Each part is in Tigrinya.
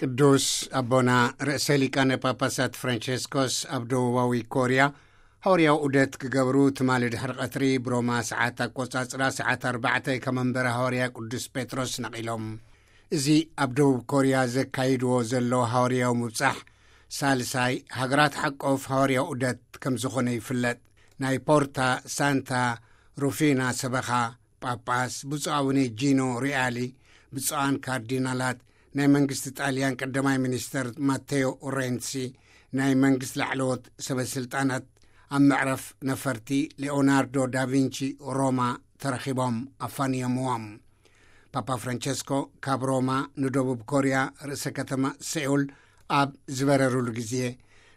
ቅዱስ ኣቦና ርእሰ ሊቃነ ጳጳሳት ፍራንቸስኮስ ኣብ ደቡባዊ ኮርያ ሃዋርያዊ ዑደት ክገብሩ ትማሊ ድሕሪ ቀትሪ ብሮማ ሰዓት ኣቆጻጽራ ሰዓት ኣርባዕተ ከመንበረ ሃዋርያ ቅዱስ ጴጥሮስ ነቒሎም። እዚ ኣብ ደቡብ ኮርያ ዘካይድዎ ዘለዉ ሃዋርያዊ ምብጻሕ ሳልሳይ ሃገራት ሓቆፍ ሃዋርያዊ ዑደት ከም ዝኾነ ይፍለጥ። ናይ ፖርታ ሳንታ ሩፊና ሰበኻ ጳጳስ ብፁዕ ኣቡነ ጂኖ ሪያሊ፣ ብፁዓን ካርዲናላት፣ ናይ መንግስቲ ጣልያን ቀዳማይ ሚኒስተር ማቴዮ ሬንሲ፣ ናይ መንግስቲ ላዕለዎት ሰበስልጣናት ኣብ መዕረፍ ነፈርቲ ሊኦናርዶ ዳቪንቺ ሮማ ተረኺቦም ኣፋንዮምዎም። ፓፓ ፍራንቸስኮ ካብ ሮማ ንደቡብ ኮርያ ርእሰ ከተማ ሴኡል ኣብ ዝበረሩሉ ግዜ፣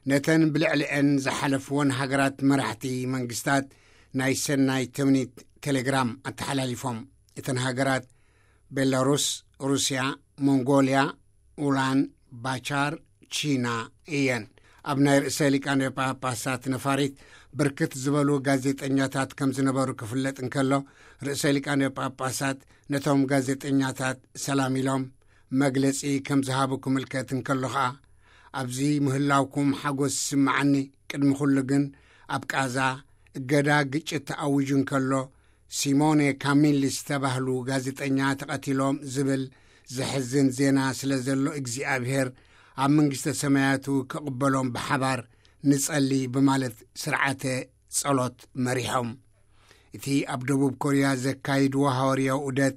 ነተን ብልዕሊአን ዝሓለፍወን ሃገራት መራሕቲ መንግስታት ናይ ሰናይ ትምኒት ቴሌግራም ኣተሓላሊፎም። እተን ሃገራት ቤላሩስ፣ ሩስያ፣ ሞንጎልያ፣ ኡላን ባቻር፣ ቺና እየን። ኣብ ናይ ርእሰ ሊቃነ ጳጳሳት ነፋሪት ብርክት ዝበሉ ጋዜጠኛታት ከም ዝነበሩ ክፍለጥ እንከሎ፣ ርእሰ ሊቃነ ጳጳሳት ነቶም ጋዜጠኛታት ሰላም ኢሎም መግለጺ ከም ዝሃቡ ክምልከት እንከሎ ኸኣ፣ "ኣብዚ ምህላውኩም ሓጎስ ይስምዓኒ፣ ቅድሚ ኩሉ ግን ኣብ ቃዛ እገዳ ግጭት ተኣዊጁ እንከሎ፣ ሲሞኔ ካሚል ዝተባህሉ ጋዜጠኛ ተቐቲሎም ዝብል ዘሕዝን ዜና ስለ ዘሎ፣ እግዚኣብሔር ኣብ መንግስተ ሰማያቱ ክቕበሎም ብሓባር ንጸሊ" ብማለት ስርዓተ ጸሎት መሪሖም። እቲ ኣብ ደቡብ ኮርያ ዘካይድዎ ሃዋርያዊ ዑደት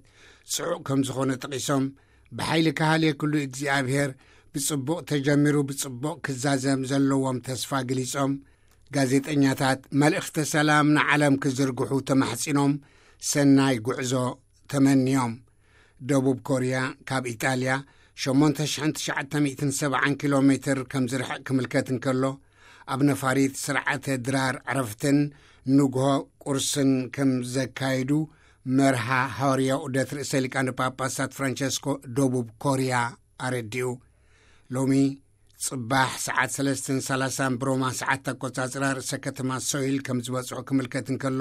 ጽዑቕ ከም ዝኾነ ጠቒሶም፣ ብሓይሊ ክሃልየክሉ እግዚኣብሔር ብጽቡቕ ተጀሚሩ ብጽቡቕ ክዛዘም ዘለዎም ተስፋ ገሊጾም፣ ጋዜጠኛታት መልእኽተ ሰላም ንዓለም ክዝርግሑ ተማሕጺኖም፣ ሰናይ ጉዕዞ ተመንዮም። ደቡብ ኮርያ ካብ ኢጣልያ ሸሞንተ ሽሕን ትሽዓተ ሚእትን ሰብዓን ኪሎ ሜትር ከም ዝርሕቕ ክምልከት እንከሎ፣ ኣብ ነፋሪት ስርዓተ ድራር ዕረፍትን ንግሆ ቁርስን ከም ዘካይዱ መርሃ ሃዋርያዊ ዑደት ርእሰ ሊቃነ ጳጳሳት ፍራንቸስኮ ደቡብ ኮርያ ኣረዲኡ። ሎሚ ጽባሕ ሰዓት ሰለስተን ሰላሳን ብሮማ ሰዓት ኣቆጻጽራ ርእሰ ከተማ ሶይል ከም ዝበጽሑ ክምልከት እንከሎ፣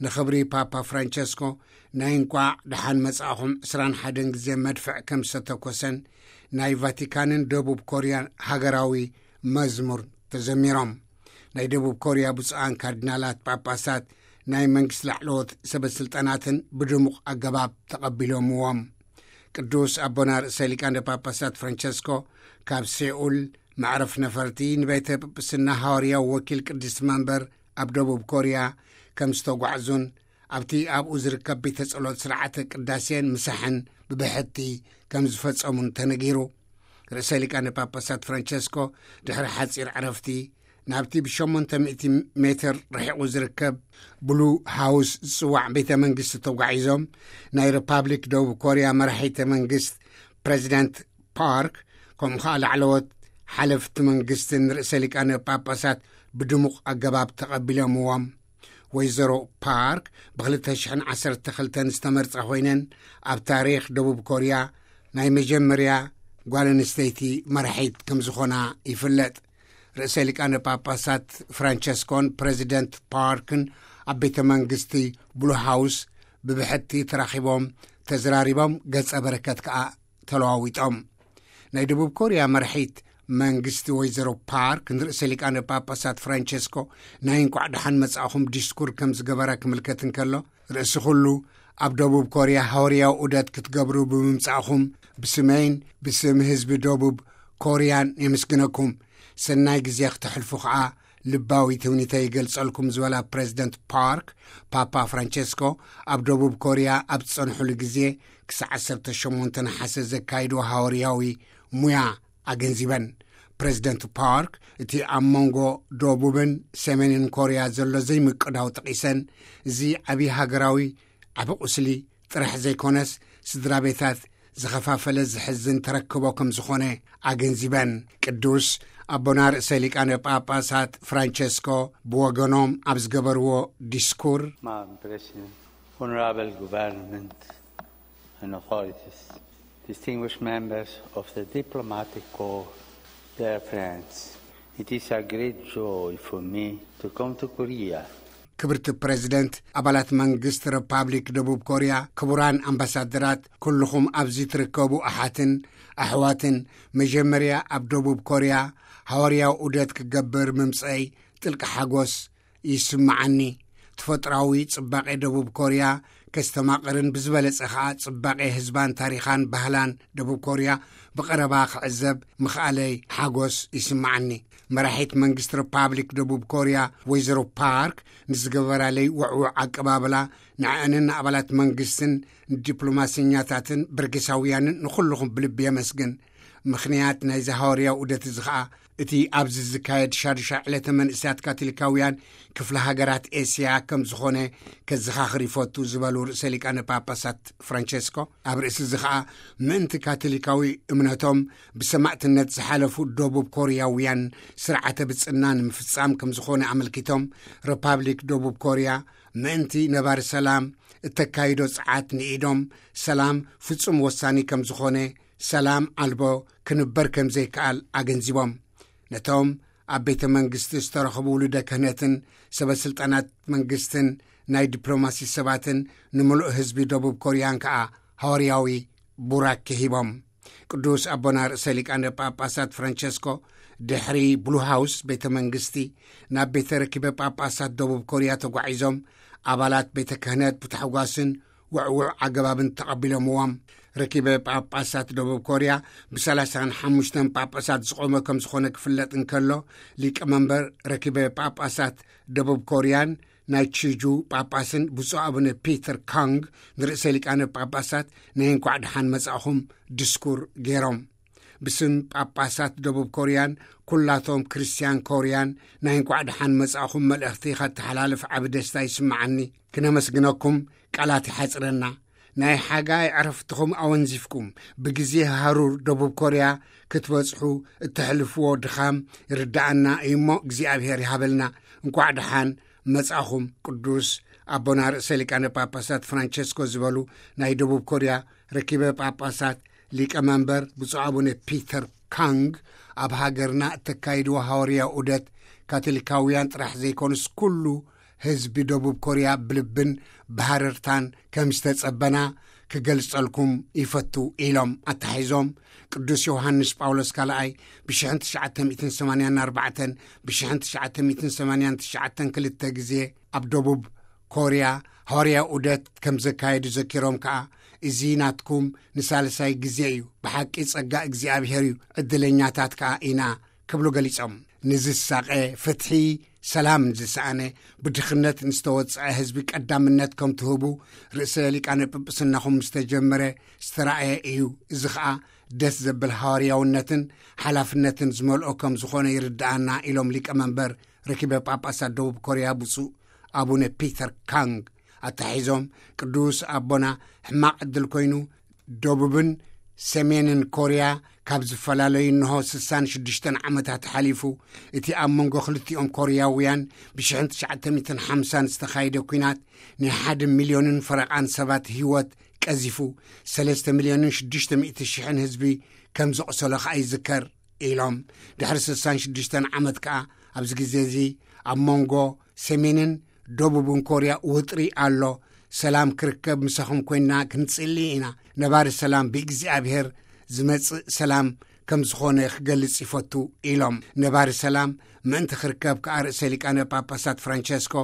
ንኽብሪ ፓፓ ፍራንቸስኮ ናይ እንቋዕ ደሓን መጻእኹም ዕስራን ሓደን ግዜ መድፍዕ ከም ዝተተኮሰን ናይ ቫቲካንን ደቡብ ኮርያን ሃገራዊ መዝሙር ተዘሚሮም። ናይ ደቡብ ኮርያ ብፁዓን ካርዲናላት ጳጳሳት ናይ መንግስቲ ላዕለዎት ሰበስልጣናትን ብድሙቕ ኣገባብ ተቐቢሎምዎም። ቅዱስ ኣቦና ርእሰ ሊቃነ ጳጳሳት ፍራንቸስኮ ካብ ሴኡል መዕረፍ ነፈርቲ ንቤተ ጵጵስና ሃዋርያዊ ወኪል ቅድስቲ መንበር ኣብ ደቡብ ኮርያ ከም ዝተጓዕዙን ኣብቲ ኣብኡ ዝርከብ ቤተ ጸሎት ስርዓተ ቅዳሴን ምሳሕን ብብሕቲ ከም ዝፈጸሙን ተነጊሩ። ርእሰ ሊቃነ ጳጳሳት ፍራንቸስኮ ድሕሪ ሓጺር ዕረፍቲ ናብቲ ብሸሞንተ ሚእቲ ሜትር ርሒቑ ዝርከብ ብሉ ሃውስ ዝጽዋዕ ቤተ መንግስቲ ተጓዒዞም፣ ናይ ሪፓብሊክ ደቡብ ኮርያ መራሒተ መንግስት ፕሬዚደንት ፓርክ፣ ከምኡ ኸኣ ላዕለዎት ሓለፍቲ መንግስትን ርእሰ ሊቃነ ጳጳሳት ብድሙቕ ኣገባብ ተቐቢሎምዎም። ወይዘሮ ፓርክ ብ ክልተ ሽሕን ዓሰርተ ክልተን ዝተመርጻ ኮይነን፣ ኣብ ታሪኽ ደቡብ ኮርያ ናይ መጀመርያ ጓል ኣንስተይቲ መራሒት ከም ዝኾና ይፍለጥ። ርእሰ ሊቃነ ጳጳሳት ፍራንቸስኮን ፕሬዚደንት ፓርክን ኣብ ቤተ መንግስቲ ብሉ ሃውስ ብብሕቲ ተራኺቦም ተዘራሪቦም፣ ገጸ በረከት ከኣ ተለዋዊጦም። ናይ ደቡብ ኮርያ መራሒት መንግስቲ ወይዘሮ ፓርክ ንርእሰ ሊቃነ ጳጳሳት ፍራንቸስኮ ናይ እንቋዕ ደሓን መጻእኹም ዲስኩር ከም ዝገበራ ክምልከት እንከሎ፣ ርእሲ ኩሉ ኣብ ደቡብ ኮርያ ሃዋርያዊ ዑደት ክትገብሩ ብምምጻእኹም ብስመይን ብስም ህዝቢ ደቡብ ኮርያን የመስግነኩም። ሰናይ ግዜ ክተሕልፉ ኸኣ ልባዊ ትምኒተይ ይገልጸልኩም ዝበላ ፕሬዚደንት ፓርክ፣ ፓፓ ፍራንቸስኮ ኣብ ደቡብ ኮርያ ኣብ ዝጸንሑሉ ግዜ ክሳዕ ዓሰርተ ሸሞንተ ነሓሰ ዘካይድዎ ሃዋርያዊ ሙያ ኣገንዚበን። ፕሬዚደንት ፓርክ፣ እቲ ኣብ መንጎ ደቡብን ሰሜንን ኮርያ ዘሎ ዘይምቅዳው ጠቒሰን፣ እዚ ዓብዪ ሃገራዊ ዓቢ ቁስሊ ጥራሕ ዘይኮነስ፣ ስድራ ቤታት ዝኸፋፈለ ዝሕዝን ተረክቦ ከም ዝኾነ ኣገንዚበን። ቅዱስ ኣቦና ርእሰ ሊቃነ ጳጳሳት ፍራንቸስኮ ብወገኖም ኣብ ዝገበርዎ ዲስኩር፣ Madam President, Honorable Government and authorities, distinguished members of the diplomatic corps, dear friends, it is a great joy for me to come to Korea. ክብርቲ ፕሬዚደንት፣ ኣባላት መንግስቲ ሪፓብሊክ ደቡብ ኮርያ፣ ክቡራን ኣምባሳደራት፣ ኩልኹም ኣብዚ ትርከቡ ኣሓትን ኣሕዋትን፣ መጀመርያ ኣብ ደቡብ ኮርያ ሃዋርያዊ ዑደት ክገብር ምምፀይ ጥልቂ ሓጎስ ይስምዓኒ። ተፈጥራዊ ጽባቄ ደቡብ ኮርያ ከስተማቕርን ብዝበለጸ ኸኣ ጽባቄ ህዝባን ታሪኻን ባህላን ደቡብ ኮርያ ብቐረባ ክዕዘብ ምኽኣለይ ሓጎስ ይስምዓኒ። መራሒት መንግስቲ ሪፓብሊክ ደቡብ ኮርያ ወይዘሮ ፓርክ ንዝገበራለይ ውዕውዕ ኣቀባብላ ንዕአንን ንኣባላት መንግስትን ንዲፕሎማሰኛታትን በርጌሳውያንን ንኹልኹም ብልቢ የመስግን። ምኽንያት ናይዚ ሃዋርያዊ ዑደት እዚ ኸኣ እቲ ኣብዚ ዝካየድ ሻዱሻይ ዕለተ መንእሰያት ካቶሊካውያን ክፍለ ሃገራት ኤስያ ከም ዝኾነ ከዘኻኽር ይፈቱ ዝበሉ ርእሰ ሊቃነ ጳጳሳት ፍራንቸስኮ፣ ኣብ ርእሲ እዚ ኸኣ ምእንቲ ካቶሊካዊ እምነቶም ብሰማእትነት ዝሓለፉ ደቡብ ኮርያውያን ስርዓተ ብጽና ንምፍጻም ከም ዝኾነ ኣመልኪቶም፣ ሪፓብሊክ ደቡብ ኮርያ ምእንቲ ነባሪ ሰላም እተካይዶ ጸዓት ንኢዶም ሰላም ፍጹም ወሳኒ ከም ዝኾነ፣ ሰላም ኣልቦ ክንበር ከም ዘይከኣል ኣገንዚቦም። ነቶም ኣብ ቤተ መንግስቲ ዝተረኸቡ ውሉደ ክህነትን ሰበ ስልጣናት መንግስትን ናይ ዲፕሎማሲ ሰባትን ንምሉእ ህዝቢ ደቡብ ኮርያን ከኣ ሃዋርያዊ ቡራኬ ሂቦም። ቅዱስ ኣቦና ርእሰ ሊቃነ ጳጳሳት ፍራንቸስኮ ድሕሪ ብሉ ሃውስ ቤተ መንግስቲ ናብ ቤተ ረኪበ ጳጳሳት ደቡብ ኮርያ ተጓዒዞም፣ ኣባላት ቤተ ክህነት ብታሕጓስን ውዕውዕ ኣገባብን ተቐቢሎምዎም። ረኪበ ጳጳሳት ደቡብ ኮርያ ብ35 ጳጳሳት ዝቖመ ከም ዝኾነ ክፍለጥ እንከሎ፣ ሊቀ መንበር ረኪበ ጳጳሳት ደቡብ ኮርያን ናይ ቺጁ ጳጳስን ብፁዕ ኣቡነ ፒተር ካንግ ንርእሰ ሊቃነ ጳጳሳት ናይ እንኳዕ ደሓን መጻእኹም ድስኩር ገይሮም። ብስም ጳጳሳት ደቡብ ኮርያን ኩላቶም ክርስትያን ኮርያን ናይ እንኳዕ ደሓን መጻእኹም መልእኽቲ ኸተሓላልፍ ዓቢ ደስታ ይስምዓኒ። ክነመስግነኩም ቃላት ይሓጽረና። ናይ ሓጋይ ዕረፍትኹም ኣወንዚፍኩም ብግዜ ሃሩር ደቡብ ኮርያ ክትበጽሑ እተሕልፍዎ ድኻም ይርድኣና እዩ እሞ እግዚኣብሔር ይሃበልና። እንኳዕ ደሓን መጻእኹም። ቅዱስ ኣቦና ርእሰ ሊቃነ ጳጳሳት ፍራንቸስኮ ዝበሉ ናይ ደቡብ ኮርያ ረኪበ ጳጳሳት ሊቀ መንበር ብፁዕ ኣቡነ ፒተር ካንግ፣ ኣብ ሃገርና እተካይድዎ ሃዋርያዊ ዑደት ካቶሊካውያን ጥራሕ ዘይኮኑስ ኩሉ ህዝቢ ደቡብ ኮርያ ብልብን ብሃረርታን ከም ዝተጸበና ክገልጸልኩም ይፈቱ ኢሎም ኣተሓሒዞም። ቅዱስ ዮሃንስ ጳውሎስ ካልኣይ ብ1984 ብ1989 ክልተ ግዜ ኣብ ደቡብ ኮርያ ሃዋርያዊ ዑደት ከም ዘካየዱ ዘኪሮም ከኣ፣ እዚ ናትኩም ንሳልሳይ ግዜ እዩ። ብሓቂ ጸጋ እግዚኣብሔር እዩ። ዕድለኛታት ከኣ ኢና ክብሉ ገሊጾም። ንዝሳቐ ፍትሒ፣ ሰላም ዝሰኣነ፣ ብድኽነት ንዝተወጽዐ ህዝቢ ቀዳምነት ከም ትህቡ ርእሰ ሊቃነ ጵጵስናኹም ዝተጀመረ ዝተራእየ እዩ። እዚ ኸኣ ደስ ዘብል ሃዋርያውነትን ሓላፍነትን ዝመልኦ ከም ዝኾነ ይርድኣና ኢሎም ሊቀ መንበር ረኪበ ጳጳሳት ደቡብ ኮርያ ብፁዕ ኣቡነ ፒተር ካንግ ኣተሒዞም። ቅዱስ ኣቦና ሕማቕ ዕድል ኮይኑ ደቡብን ሰሜንን ኮርያ ካብ ዝፈላለዩ እንሆ 66 ዓመታት ሓሊፉ። እቲ ኣብ መንጎ ክልቲኦም ኮርያውያን ብ1950 ዝተኻየደ ኲናት ናይ ሓደ ሚልዮንን ፈረቓን ሰባት ህይወት ቀዚፉ፣ 3 ሚልዮንን 600 ሽሕን ህዝቢ ከም ዘቑሰሎ ኸኣ ይዝከር ኢሎም። ድሕሪ 66 ዓመት ከኣ ኣብዚ ግዜ እዚ ኣብ መንጎ ሰሜንን ደቡብን ኮርያ ውጥሪ ኣሎ። ሰላም ክርከብ ምሳኹም ኮይንና ክንጽሊ ኢና። ነባሪ ሰላም ብእግዚኣብሔር ዝመጽእ ሰላም ከም ዝኾነ ክገልጽ ይፈቱ ኢሎም። ነባሪ ሰላም ምእንቲ ክርከብ ከኣ ርእሰ ሊቃነ ጳጳሳት ፍራንቸስኮ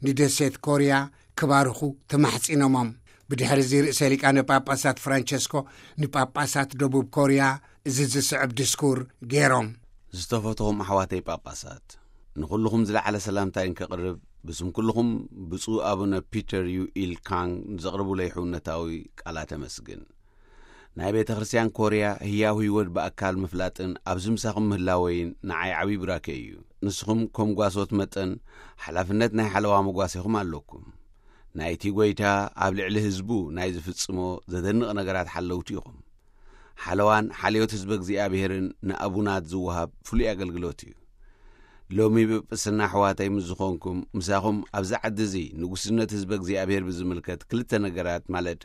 ንደሴት ኮርያ ክባርኹ ተማሕጺኖሞም። ብድሕሪ እዚ ርእሰ ሊቃነ ጳጳሳት ፍራንቸስኮ ንጳጳሳት ደቡብ ኮርያ እዚ ዝስዕብ ድስኩር ገይሮም። ዝተፈትኹም ኣሕዋተይ ጳጳሳት፣ ንኹልኹም ዝለዓለ ሰላምታይ እንከቕርብ፣ ብስም ኩልኹም ብፁዕ ኣቡነ ፒተር ዩ ኢል ካንግ ንዘቕርቡለይ ሕውነታዊ ቃላት ኣመስግን። ናይ ቤተ ክርስቲያን ኮርያ ህያው ህይወት ብኣካል ምፍላጥን ኣብዚ ምሳኹም ምህላወይን ንዓይ ዓብዪ ብራኬ እዩ። ንስኹም ከም ጓሶት መጠን ሓላፍነት ናይ ሓለዋ መጓሴኹም ኣለኩም። ናይቲ ጐይታ ኣብ ልዕሊ ህዝቡ ናይ ዝፍጽሞ ዘደንቕ ነገራት ሓለውቲ ኢኹም። ሓለዋን ሓልዮት ህዝበ እግዚኣብሔርን ንኣቡናት ዝወሃብ ፍሉይ ኣገልግሎት እዩ። ሎሚ ብጵስና ኣሕዋተይ ምስ ዝኾንኩም፣ ምሳኹም ኣብዚ ዓዲ እዚ ንጉስነት ህዝበ እግዚኣብሔር ብዝምልከት ክልተ ነገራት፣ ማለት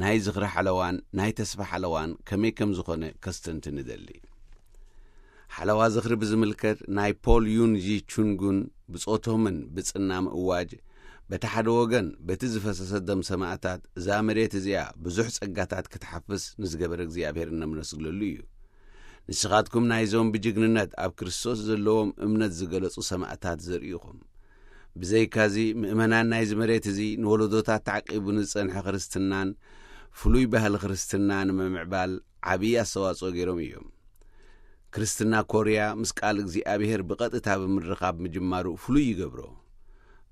ናይ ዝኽሪ ሓለዋን ናይ ተስፋ ሓለዋን ከመይ ከም ዝኾነ ከስተንትን እደሊ። ሓለዋ ዝኽሪ ብዝምልከት ናይ ፖል ዩን ጂ ቹንጉን ብጾቶምን ብጽና ምእዋጅ እቲ ሓደ ወገን በቲ ዝፈሰሰ ደም ሰማእታት እዛ መሬት እዚኣ ብዙሕ ጸጋታት ክትሓፍስ ንዝገበረ እግዚኣብሔር እነምነስግለሉ እዩ። ንስኻትኩም ናይዞም ብጅግንነት ኣብ ክርስቶስ ዘለዎም እምነት ዝገለጹ ሰማእታት ዘርእኹም። ብዘይካዚ ምእመናን ናይዚ መሬት እዚ ንወለዶታት ተዓቂቡ ንዝጸንሐ ክርስትናን ፍሉይ ባህሊ ክርስትና ንምምዕባል ዓብዪ ኣስተዋጽኦ ገይሮም እዮም። ክርስትና ኮርያ ምስ ቃል እግዚኣብሔር ብቐጥታ ብምርኻብ ምጅማሩ ፍሉይ ይገብሮ።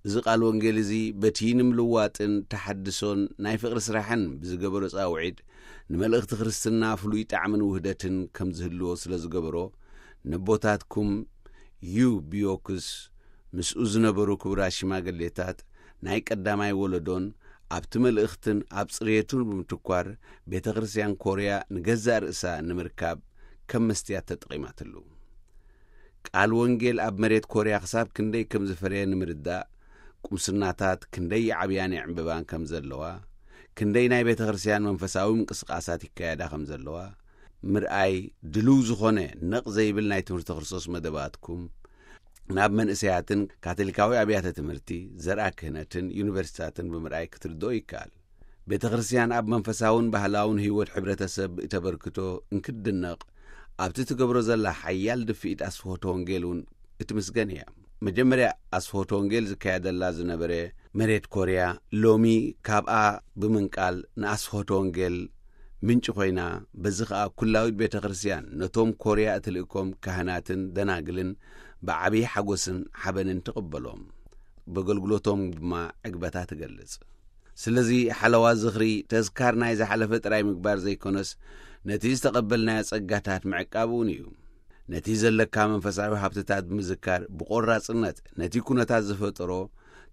እዚ ቃል ወንጌል እዚ በቲ ንምልዋጥን ተሓድሶን ናይ ፍቕሪ ስራሕን ብዝገበሮ ጻውዒት ንመልእኽቲ ክርስትና ፍሉይ ጣዕምን ውህደትን ከም ዝህልዎ ስለ ዝገበሮ፣ ነቦታትኩም ዩ ቢዮክስ ምስኡ ዝነበሩ ክቡራት ሽማግሌታት ናይ ቀዳማይ ወለዶን ኣብቲ መልእኽትን ኣብ ጽሬቱን ብምትኳር ቤተ ክርስቲያን ኮርያ ንገዛእ ርእሳ ንምርካብ ከም መስትያት ተጠቒማትሉ። ቃል ወንጌል ኣብ መሬት ኮርያ ክሳብ ክንደይ ከም ዝፈረየ ንምርዳእ፣ ቁምስናታት ክንደይ ይዓብያን ይዕምብባን ከም ዘለዋ፣ ክንደይ ናይ ቤተ ክርስቲያን መንፈሳዊ ምንቅስቃሳት ይካየዳ ከም ዘለዋ ምርኣይ ድልው ዝኾነ ነቕ ዘይብል ናይ ትምህርቲ ክርስቶስ መደባትኩም ናብ መንእሰያትን ካቶሊካዊ ኣብያተ ትምህርቲ፣ ዘርኣ ክህነትን ዩኒቨርሲታትን ብምርኣይ ክትርድኦ ይከኣል። ቤተ ክርስቲያን ኣብ መንፈሳውን ባህላውን ህይወት ሕብረተሰብ እተበርክቶ እንክትድነቕ፣ ኣብቲ ትገብሮ ዘላ ሓያል ድፍኢት ኣስፍሆተ ወንጌል እውን እትምስገን እያ። መጀመርያ ኣስፍሆተ ወንጌል ዝካየደላ ዝነበረ መሬት ኮርያ፣ ሎሚ ካብኣ ብምንቃል ንኣስፍሆተ ወንጌል ምንጪ ኮይና፣ በዚ ኸኣ ኩላዊት ቤተ ክርስቲያን ነቶም ኮርያ እትልእኮም ካህናትን ደናግልን ብዓብዪ ሓጎስን ሓበንን ትቕበሎም። በገልግሎቶም ድማ ዕግበታ ትገልጽ። ስለዚ ሓለዋ ዝኽሪ ተዝካር ናይ ዝሓለፈ ጥራይ ምግባር ዘይኮነስ፣ ነቲ ዝተቐበልናዮ ጸጋታት ምዕቃብ እውን እዩ። ነቲ ዘለካ መንፈሳዊ ሃብትታት ብምዝካር ብቆራጽነት ነቲ ኩነታት ዝፈጠሮ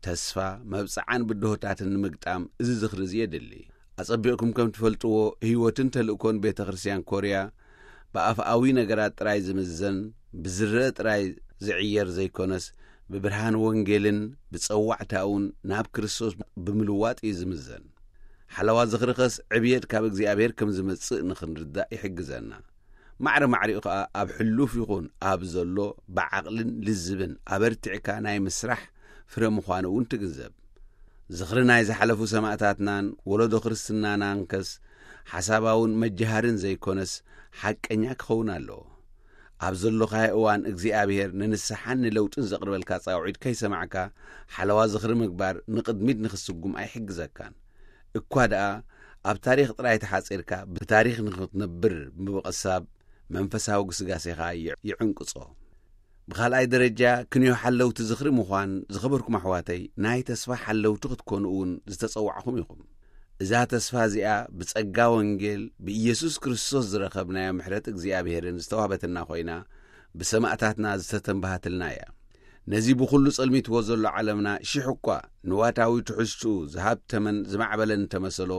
ተስፋ መብጽዓን ብድሆታትን ንምግጣም እዚ ዝኽሪ እዚ የድሊ። ኣጸቢቕኩም ከም ትፈልጥዎ ህይወትን ተልእኮን ቤተ ክርስቲያን ኮርያ ብኣፍኣዊ ነገራት ጥራይ ዝምዘን፣ ብዝረአ ጥራይ ዝዕየር ዘይኮነስ፣ ብብርሃን ወንጌልን ብጸዋዕታኡን ናብ ክርስቶስ ብምልዋጥ እዩ ዝምዘን። ሓለዋ ዝኽርኸስ ዕብየት ካብ እግዚኣብሔር ከም ዝመጽእ ንኽንርዳእ ይሕግዘና። ማዕረ ማዕሪኡ ኸኣ ኣብ ሕሉፍ ይኹን ኣብ ዘሎ ብዓቕልን ልዝብን ኣበርቲዕካ ናይ ምስራሕ ፍረ ምዃኑ እውን ትግንዘብ። ዝኽሪ ናይ ዝሓለፉ ሰማእታትናን ወለዶ ክርስትናናን ከስ ሓሳባውን መጀሃርን ዘይኮነስ ሓቀኛ ክኸውን ኣለዎ። ኣብ ዘሎኻዮ እዋን እግዚኣብሔር ንንስሓን ንለውጥን ዘቕርበልካ ጻውዒት ከይሰማዕካ ሓለዋ ዝኽሪ ምግባር ንቕድሚት ንኽስጉም ኣይሕግዘካን። እኳ ደኣ ኣብ ታሪኽ ጥራይ ተሓጺርካ ብታሪኽ ንኽትነብር ምብቐሳብ መንፈሳዊ ግስጋሴኻ ይዕ-፣ ይዕንቅጾ። ብኻልኣይ ደረጃ ክንዮ ሓለውቲ ዝኽሪ ምዃን ዝኸበርኩም ኣሕዋተይ ናይ ተስፋ ሓለውቲ ክትኮኑ እውን ዝተጸዋዕኹም ኢኹም። እዛ ተስፋ እዚኣ ብጸጋ ወንጌል ብኢየሱስ ክርስቶስ ዝረኸብናዮ ምሕረት እግዚኣብሔርን ዝተዋህበትና ኮይና ብሰማእታትና ዝተተንባሃትልና እያ። ነዚ ብኹሉ ጸልሚትዎ ዘሎ ዓለምና ሽሕ እኳ ንዋታዊ ትሕዝትኡ ዝሃብተመን ዝማዕበለን እንተመሰሎ፣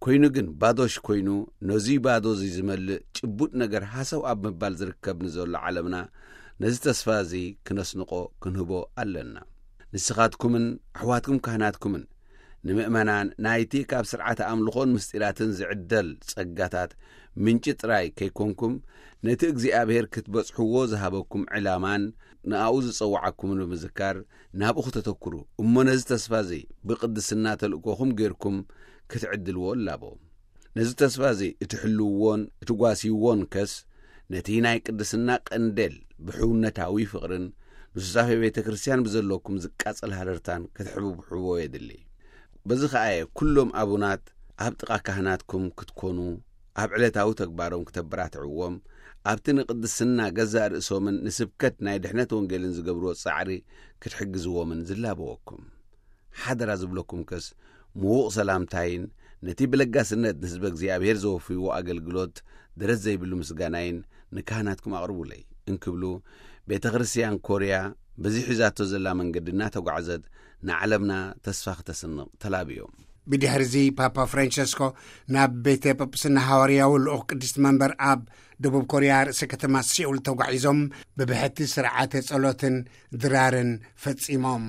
ኮይኑ ግን ባዶሽ ኮይኑ ነዚ ባዶ እዚ ዝመልእ ጭቡጥ ነገር ሃሰው ኣብ ምባል ዝርከብ ንዘሎ ዓለምና ነዚ ተስፋ እዚ ክነስንቆ ክንህቦ ኣለና። ንስኻትኩምን ኣሕዋትኩም ካህናትኩምን ንምእመናን ናይቲ ካብ ስርዓተ ኣምልኾን ምስጢራትን ዝዕደል ጸጋታት ምንጪ ጥራይ ከይኮንኩም፣ ነቲ እግዚኣብሔር ክትበጽሕዎ ዝሃበኩም ዕላማን ንኣኡ ዝጸውዓኩምን ብምዝካር ናብኡ ክተተኩሩ እሞ ነዚ ተስፋ እዚ ብቅድስና ተልእኮኹም ጌርኩም ክትዕድልዎ እላቦ። ነዚ ተስፋ እዚ እትሕልውዎን እትጓስይዎን ከስ ነቲ ናይ ቅድስና ቀንዴል ብሕውነታዊ ፍቕርን ንሱዛፌ ቤተ ክርስቲያን ብዘለኩም ዝቃጸል ሃረርታን ክትሕብሕብዎ የድሊ። በዚ ኸኣ እየ ኩሎም ኣቡናት ኣብ ጥቓ ካህናትኩም ክትኮኑ ኣብ ዕለታዊ ተግባሮም ክተበራትዕዎም፣ ኣብቲ ንቅድስና ገዛእ ርእሶምን ንስብከት ናይ ድሕነት ወንጌልን ዝገብርዎ ጻዕሪ ክትሕግዝዎምን ዝላበወኩም። ሓደራ ዝብለኩም ከስ ምዉቕ ሰላምታይን ነቲ ብለጋስነት ንህዝበ እግዚኣብሔር ዘወፍይዎ ኣገልግሎት ደረት ዘይብሉ ምስጋናይን ንካህናትኩም ኣቕርቡለይ እንክብሉ፣ ቤተ ክርስቲያን ኮርያ በዚ ሒዛቶ ዘላ መንገዲ እናተጓዕዘት ንዓለምና ተስፋ ክተስንቕ ተላብዮም። ብድሕርዚ ፓፓ ፍራንቸስኮ ናብ ቤተ ጳጳስና ሃዋርያዊ ልኡኽ ቅድስቲ መንበር ኣብ ደቡብ ኮርያ ርእሰ ከተማ ሴኡል ተጓዒዞም ብብሕቲ ስርዓተ ጸሎትን ድራርን ፈጺሞም።